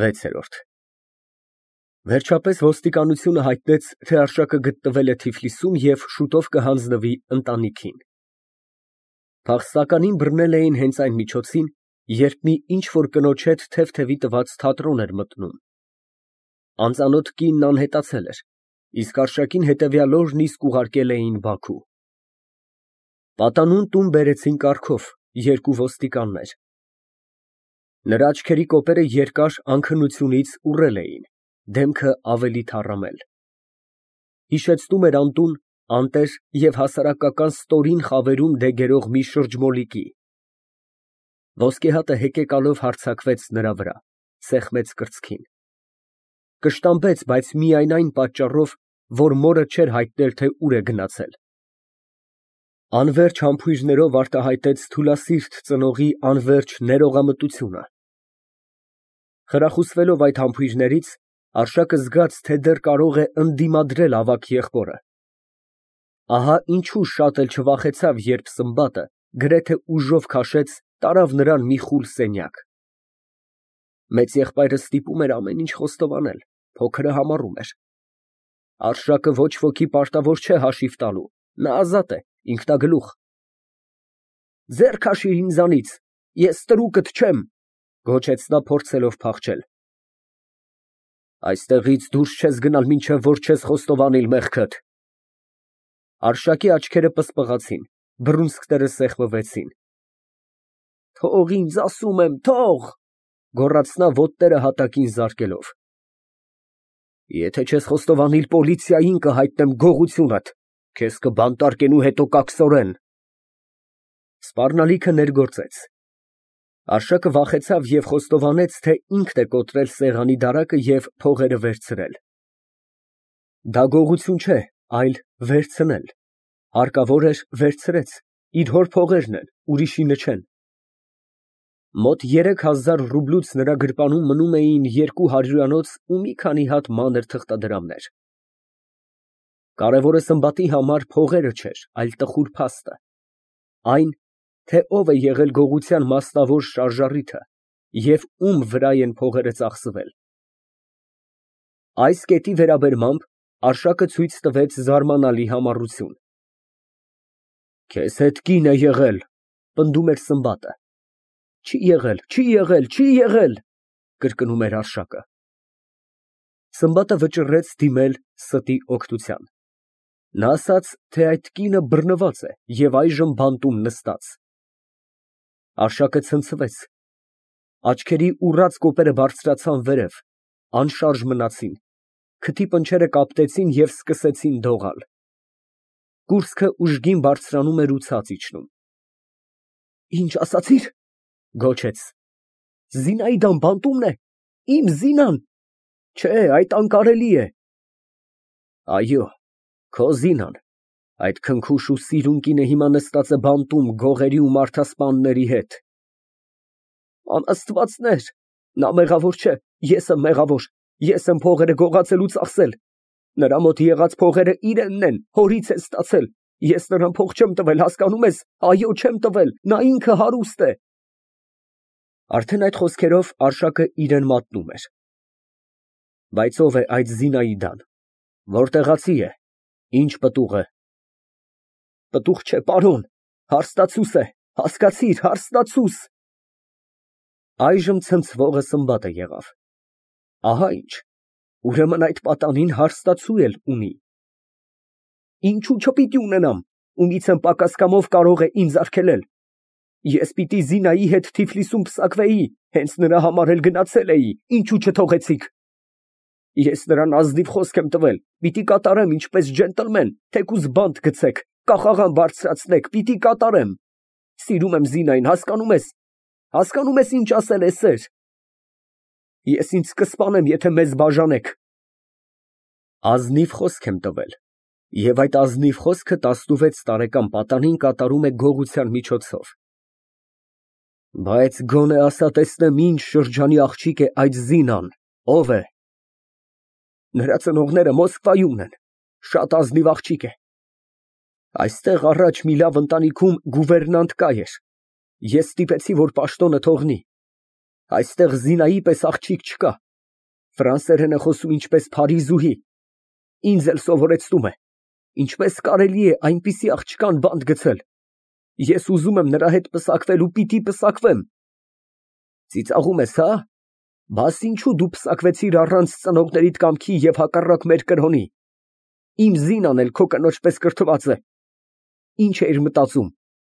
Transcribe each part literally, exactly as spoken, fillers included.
վեցերորդ Վերջապես ոստիկանությունը հայտնեց, թե Արշակը գտնվել է Թիֆլիսում և շուտով կհանձնվի ընտանիքին։ Փախստականին բռնել էին հենց այն միջոցին, երբ մի ինչ֊որ կնոջ հետ թեթևի տված թատրոն էր մտնում։ Անծանոթ կինն անհետացել էր, իսկ Արշակին հետևյալ օրն իսկ ուղարկել էին Բաքու։ Պատանուն տուն բերեցին կառքով երկու ոստիկաններ։ Նրա աչքերի կոպերը երկար անքնությունից ուռել էին, դեմքը ավելի թառամել։ Հիշեցնում էր անտուն, անտեր և հասարակական ստորին խավերում դեգերող մի շրջմոլիկի։ Ոսկեհատը հեկեկալով հարձակվեց նրա վրա, սեղմեց կրծքին։ Կշտամբեց, բայց միայն այն պատճառով, որ մորը չէր հայտնել, թե ուր է գնացել։ Անվերջ համբույրներով արտահայտեց թուլասիրտ ծնողի անվերջ ներողամտությունը։ Խրախուսվելով այդ համբույրներից, Արշակը զգաց, թե դեռ կարող է ընդդիմադրել ավագ եղբորը։ Ահա ինչու շատ էլ չվախեցավ, երբ Սմբատը գրեթե ուժով քաշեց, տարավ նրան մի խուլ սենյակ։ Մեծ եղբայրը ստիպում էր ամեն ինչ խոստովանել, փոքրը համառում էր։ Արշակը ոչ ոքի պարտավոր չէ հաշիվ տալու, նա ազատ է, ինքնագլուխ։ Ձեռ քաշիր ինձանից, ես տրուկդ չեմ, գոչեց նա, փորձելով փախչել։ Այստեղից դուրս չես գնալ, մինչև որ չես խոստովանիլ մեղքդ։ Արշակի աչքերը պսպղացին, բռունցքները սեղմվեցին։ Թող ինձ, ասում եմ, թող, գոռաց նա ոտները հատակին զարկելով։ Եթե չես խոստովանիլ, պոլիցիային կհայտնեմ գողությունդ, քեզ կբանտարկեն ու հետո կաքսորեն։ Սպառնալիքը ներգործեց։ Արշակը վախեցավ և խոստովանեց, թե ինքն է կոտրել սեղանի դարակը և փողերը վերցրել։ Դա գողություն չէ, այլ վերցնել։ Հարկավոր էր, վերցրեց, իր հոր փողերն են, ուրիշինը չեն։ Մոտ երեք հազար ռուբլուց նրա գրպանում մնում էին երկու հարյուրանոց ու մի քանի հատ մանր թղթադրամներ։ Կարևորը Սմբատի համար փողերը չէր, այլ տխուր փաստը։ Այն, թե ով է եղել գողության մասնավոր շարժառիթը և ում վրա են փողերը ծախսվել։ Այս կետի վերաբերմամբ Արշակը ցույց տվեց զարմանալի համառություն։ Քեզ հետ կին է եղել, պնդում էր Սմբատը։ Չի եղել, չի եղել, չի եղել, կրկնում էր Արշակը։ Սմբատը վճռեց դիմել ստի օգնության։ Նա ասաց, թե այդ կինը բռնված է և այժմ բանտում նստած։ Արշակը ցնցվեց։ Աչքերի ուռած կոպերը բարձրացան վերև, անշարժ մնացին, քթի պնչերը կապտեցին և սկսեցին դողալ։ Կուրծքը ուժգին բարձրանում էր ու ցած իջնում։ Ինչ ասացիր, գոչեց։ Զինայդան բանտումն է, իմ Զինան։ Չէ, այդ անկարելի է։ Այո, քո Զինան, այդ քնքուշ ու սիրուն կինը հիմա նստած է բանտում գողերի ու մարդասպանների հետ։ Անաստվածներ, նա մեղավոր չէ, ես եմ մեղավոր, ես եմ փողերը գողացել ու ծախսել։ Նրա մոտ եղած փողերը իրենն են, հորից է ստացել։ Ես նրան փող չեմ տվել, հասկանում ես, այո, չեմ տվել, նա ինքը հարուստ է։ Արդեն այդ խոսքերով Արշակը իրեն մատնում էր։ Բայց ով է այդ Զինայդան, որտեղացի է, ինչ պտուղ է։ Պտուղ չէ, պարոն, հարստացուս է, հասկացիր, հարստացուս։ Այժմ ցնցվողը Սմբատը եղավ։ Ահա ինչ, ուրեմն այդ պատանին հարստացու էլ ունի։ Ինչու չպիտի ունենամ, ումից եմ պակաս կամով կարող է ինձ արգելել։ Ես պիտի Զինայի հետ Թիֆլիսում պսակվեի, հենց նրա համար էլ գնացել էի, ինչու չթողեցիք։ Ես նրան ազնիվ խոսք եմ տվել, պիտի կատարեմ ինչպես ջենտլմեն, թեկուզ բանտ գցեք, կախաղան բարձրացնեք, պիտի կատարեմ։ Սիրում եմ Զինային, հասկանում ես, հասկանում ես ինչ ասել է սեր։ Ես ինձ կսպանեմ, եթե մեզ բաժանեք։ Ազնիվ խոսք եմ տվել, և այդ ազնիվ խոսքը տասնվեց տարեկան պատանին կատարում է գողության միջոցով։ Բայց գոնե ասա տեսնեմ ինչ շրջանի աղջիկ է այդ Զինան, ով է։ Նրա ծնողները Մոսկվայում են, շատ ազնիվ աղջիկ է։ Այստեղ առաջ մի լավ ընտանիքում գուվերնանտ կա էր։ Ես ստիպեցի, որ պաշտոնը թողնի։ Այստեղ Զինայի պես աղջիկ չկա, Ֆրանսերեն է խոսում ինչպես Փարիզուհի, ինձ էլ սովորեցնում է, ինչպես կարելի է այնպիսի աղջկան բանտ գցել, ես ուզում եմ նրա հետ պսակվել ու պիտի պսակվեմ։ Ծիծաղում ես, հա՞, բաս ինչու դու պսակվեցիր առանց ծնողներիդ կամքի և հակառակ մեր կրոնի, իմ Զինան էլ քո կնոջ պես կրթված է, ինչ էիր մտածում,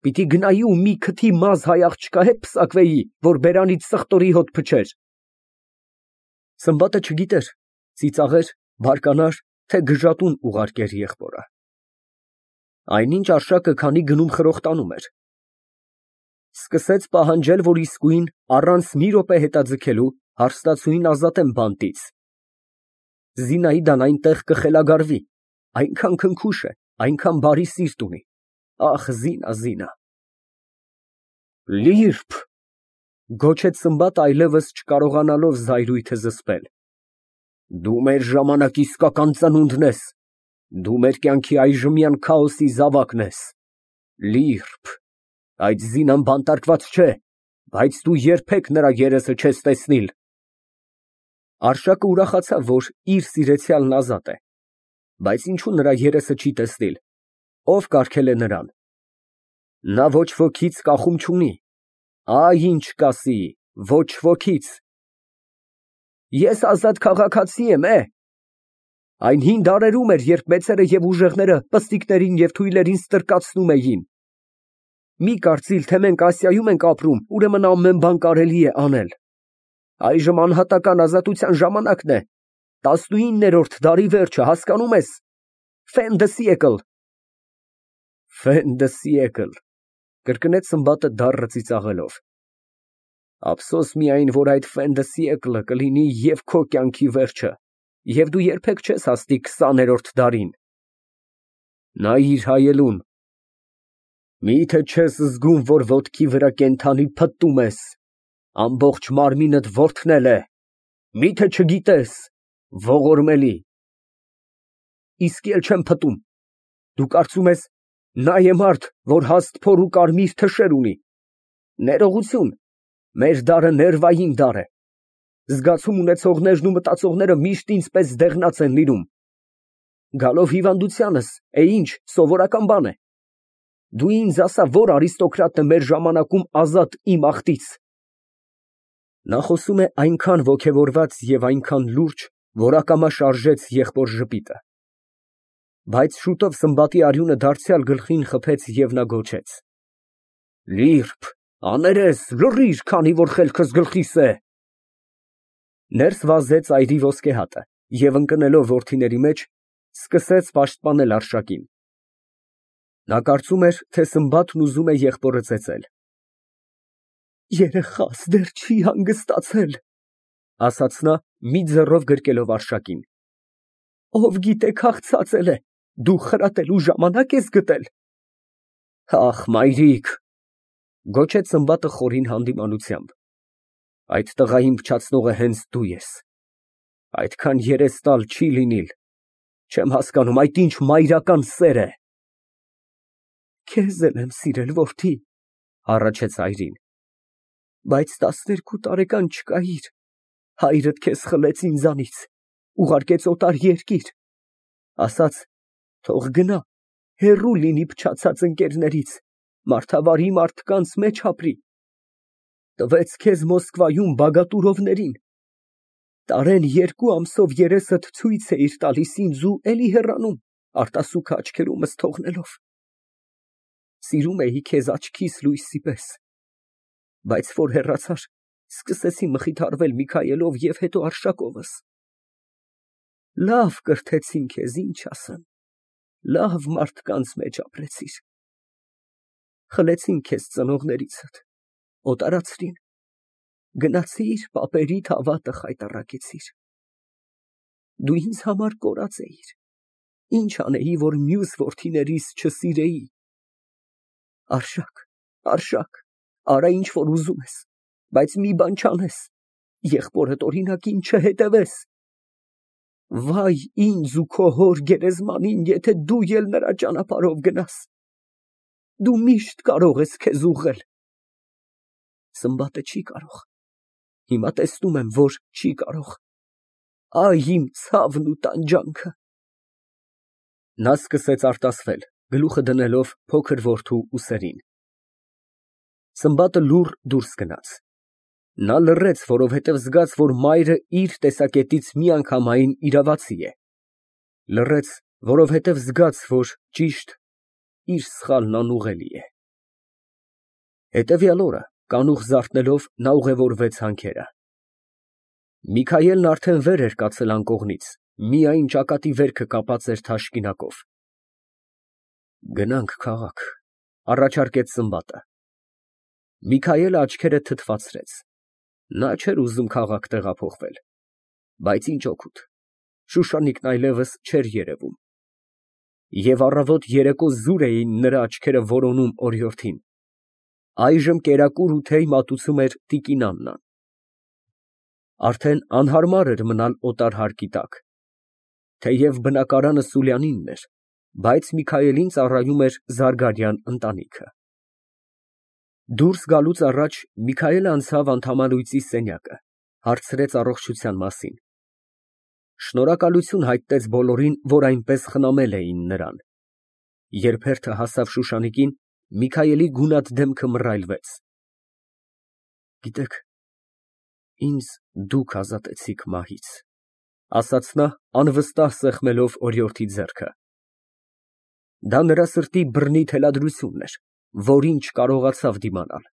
պիտի գնայի ու մի քթի մազ հայ աղջկա հետ պսակվեի, որ բերանից սխտորի հոտ փչեր։ Սմբատը չգիտեր ծիծաղեր, բարկանար, թե գժատուն ուղարկեր եղբորը։ Այնինչ Արշակը քանի գնում խրոխտանում էր, սկսեց պահանջել, որ իսկույն առանց մի րոպե հետաձգելու հարստացուին ազատեն բանտից։ Զինայդան այնտեղ կխելագարվի, այնքան քնքուշ է, այնքան բարի սիրտ ունի, ախ, Զինա, Զինա։ Լիրբ, գոչեց Սմբատը այլևս չկարողանալով զայրույթը զսպել, դու մեր ժամանակի իսկական ծնունդն ես, դու մեր կյանքի այժմյան քաոսի զավակն ես, Լիրբ, այդ Զինան բանտարկված չէ, բայց դու երբեք նրա երեսը չես տեսնիլ։ Արշակը ուրախացավ, որ իր սիրեցյալն ազատ է, բայց ինչու նրա երեսը չի տեսնիլ, ով կարգել է նրան։ Նա ոչ ոքից կախում չունի, այ ինչ կասի, ոչ ոքից։ Ես ազատ քաղաքացի եմ, է։ Այն հին դարերում էր, երբ մեծերը և ուժեղները պստիկներին և թույլերին ստրկացնում էին։ Մի կարծիլ, թե մենք Ասիայում ենք ապրում, ուրեմն ամեն բան կարելի է անել։ Այժմ անհատական ազատության ժամանակն է, տասնուիններորդ դարի վերջը, հասկանում ես, fin de siècle։ Fin de siècle, կրկնեց Սմբատը դառը ծիծաղելով։ Ափսոս միայն, որ այդ fin de siècle-ը կլինի և քո կյանքի վերջը, և դու երբեք չես հասնի քսաներորդ դարին։ Նայիր հայելուն, միթե չես զգում, որ ոտքի վրա կենդանի փտտում ես, ամբողջ մարմինդ որթնել է, միթե չգիտես, ողորմելի։ Իսկ էլ չեմ փտտում, դու կարծում ես, նա է մարդ, որ հաստ փոր ու կարմիր թշեր ունի։ Ներողություն, մեր դարը ներվային դար է, զգացում ունեցողներն ու մտածողները միշտ ինձ պես դեղնած են լինում։ Գալով հիվանդությանս, է ինչ, սովորական բան է։ Դու ինձ ասա, որ արիստոկրատն է մեր ժամանակում ազատ իմ ախտից։ Նա խոսում է այնքան ոգևորված և այնքան լուրջ, որ ակամա շարժեց եղբոր ժպիտը։ Բայց շուտով Սմբատի արյունը դարձյալ գլխին խփեց և նա գոչեց. Լիրբ, աներես, լռիր, քանի որ խելքս գլխիս է։ Ներս վազեց այրի ոսկեհատը և ընկնելով որդիների մեջ, սկսեց պաշտպանել Արշակին։ Նա կարծում էր, թե Սմբատն ուզում է եղբորը ծեծել։ Երեխաս դեռ չի հանգստացել, ասաց նա, մի ձեռով գրկելով Արշակին։ Ով գիտե քաղցածել է, դու խրատելու ժամանակ ես գտել։ Ախ, մայրիկ, գոչեց Սմբատը խորին հանդիմանությամբ, այդ տղային փչացնողը հենց դու ես։ Այդքան երես տալ չի լինիլ, չեմ հասկանում, այդ ինչ մայրական սեր է։ Քեզ էլ եմ սիրել, որդի, հառաչեց այրին, բայց տասներկու տարեկան չկայիր, հայրդ քեզ խլեց ինձանից, ուղարկեց օտար երկիր, ասաց, թող գնա, հեռու լինի փչացած ընկերներից, մարդավարի մարդկանց մեջ ապրի, տվեց քեզ Մոսկվայում բագատուրովներին, տարեն երկու ամսով երեսդ ցույց էիր տալիս ինձ ու էլի հեռանում, արտասուքը աչքերումս թողնելով։ Սիրում էի քեզ աչքիս լույսի պես, բայց որ հեռացար, սկսեցի մխիթարվել Միքայելով և հետո Արշակովս։ Լավ կրթեցին քեզ, ինչ ասեմ, լավ մարդկանց մեջ ապրեցիր։ Խլեցին քեզ ծնողներիցդ, օտարացրին, գնացիր պապերիդ հավատը խայտառակեցիր։ Դու ինձ համար կորած էիր, ինչ անեի, որ մյուս որդիներիս չսիրեի։ Արշակ, Արշակ, արա ինչ որ ուզում ես, բայց մի բան չանես, եղբորդ օրինակին չհետևես։ Վայ ինձ ու քո հոր գերեզմանին, եթե դու էլ նրա ճանապարհով գնաս։ Դու միշտ կարող ես քեզ ուղղել։ Սմբատը չի կարող։ Հիմա տեսնում եմ, որ չի կարող։ Այ իմ ցավն ու տանջանքը։ Նա սկսեց արտասվել, գլուխը դնելով փոքր որդու ուսերին։ Սմբատը լուռ դուրս գնաց։ Նա լռեց, որովհետև զգաց, որ մայրը իր տեսակետից միանգամայն իրավացի է։ Լռեց, որովհետև զգաց, որ ճիշտ, իր սխալն անուղղելի է։ Հետևյալ օրը, կանուխ զարթնելով, նա ուղևորվեց հանքերը։ Միքայելն արդեն վեր էր կացել անկողնից, միայն ճակատի վերքը կապած էր թաշկինակով։ Գնանք քաղաք, առաջարկեց Սմբատը։ Միքայելը աչքերը թթվածրեց։ Նա չէր ուզում քաղաք տեղափոխվել, բայց ինչ օգուտ, Շուշանիկն այլևս չէր երևում։ Եվ առավոտ զուր էին նրա աչքերը որոնում օրիորդին։ Այժմ կերակուր ու թեյ մատուցում էր տիկին Աննան։ Արդեն անհարմար էր մնալ օտար հարկի տակ։ Թեև բնակարանը Սուլյանինն էր, բայց Միքայելին ծառայում էր Զարգարյան ընտանիքը։ Դուրս գալուց առաջ Միքայելը անցավ Անդամալույծի սենյակը, հարցրեց առողջության մասին։ Շնորհակալություն հայտնեց բոլորին, որ այնպես խնամել էին նրան։ Երբ հերթը հասավ Շուշանիկին, Միքայելի գունատ դեմքը մռայլվեց։ Գիտեք, ինձ դուք ազատեցիք մահից, ասաց նա, անվստահ սեղմելով օրիորդի ձեռքը։ Դա նրա սրտի բռնի թելադրությունն էր, որին չկարողացավ դիմանալ։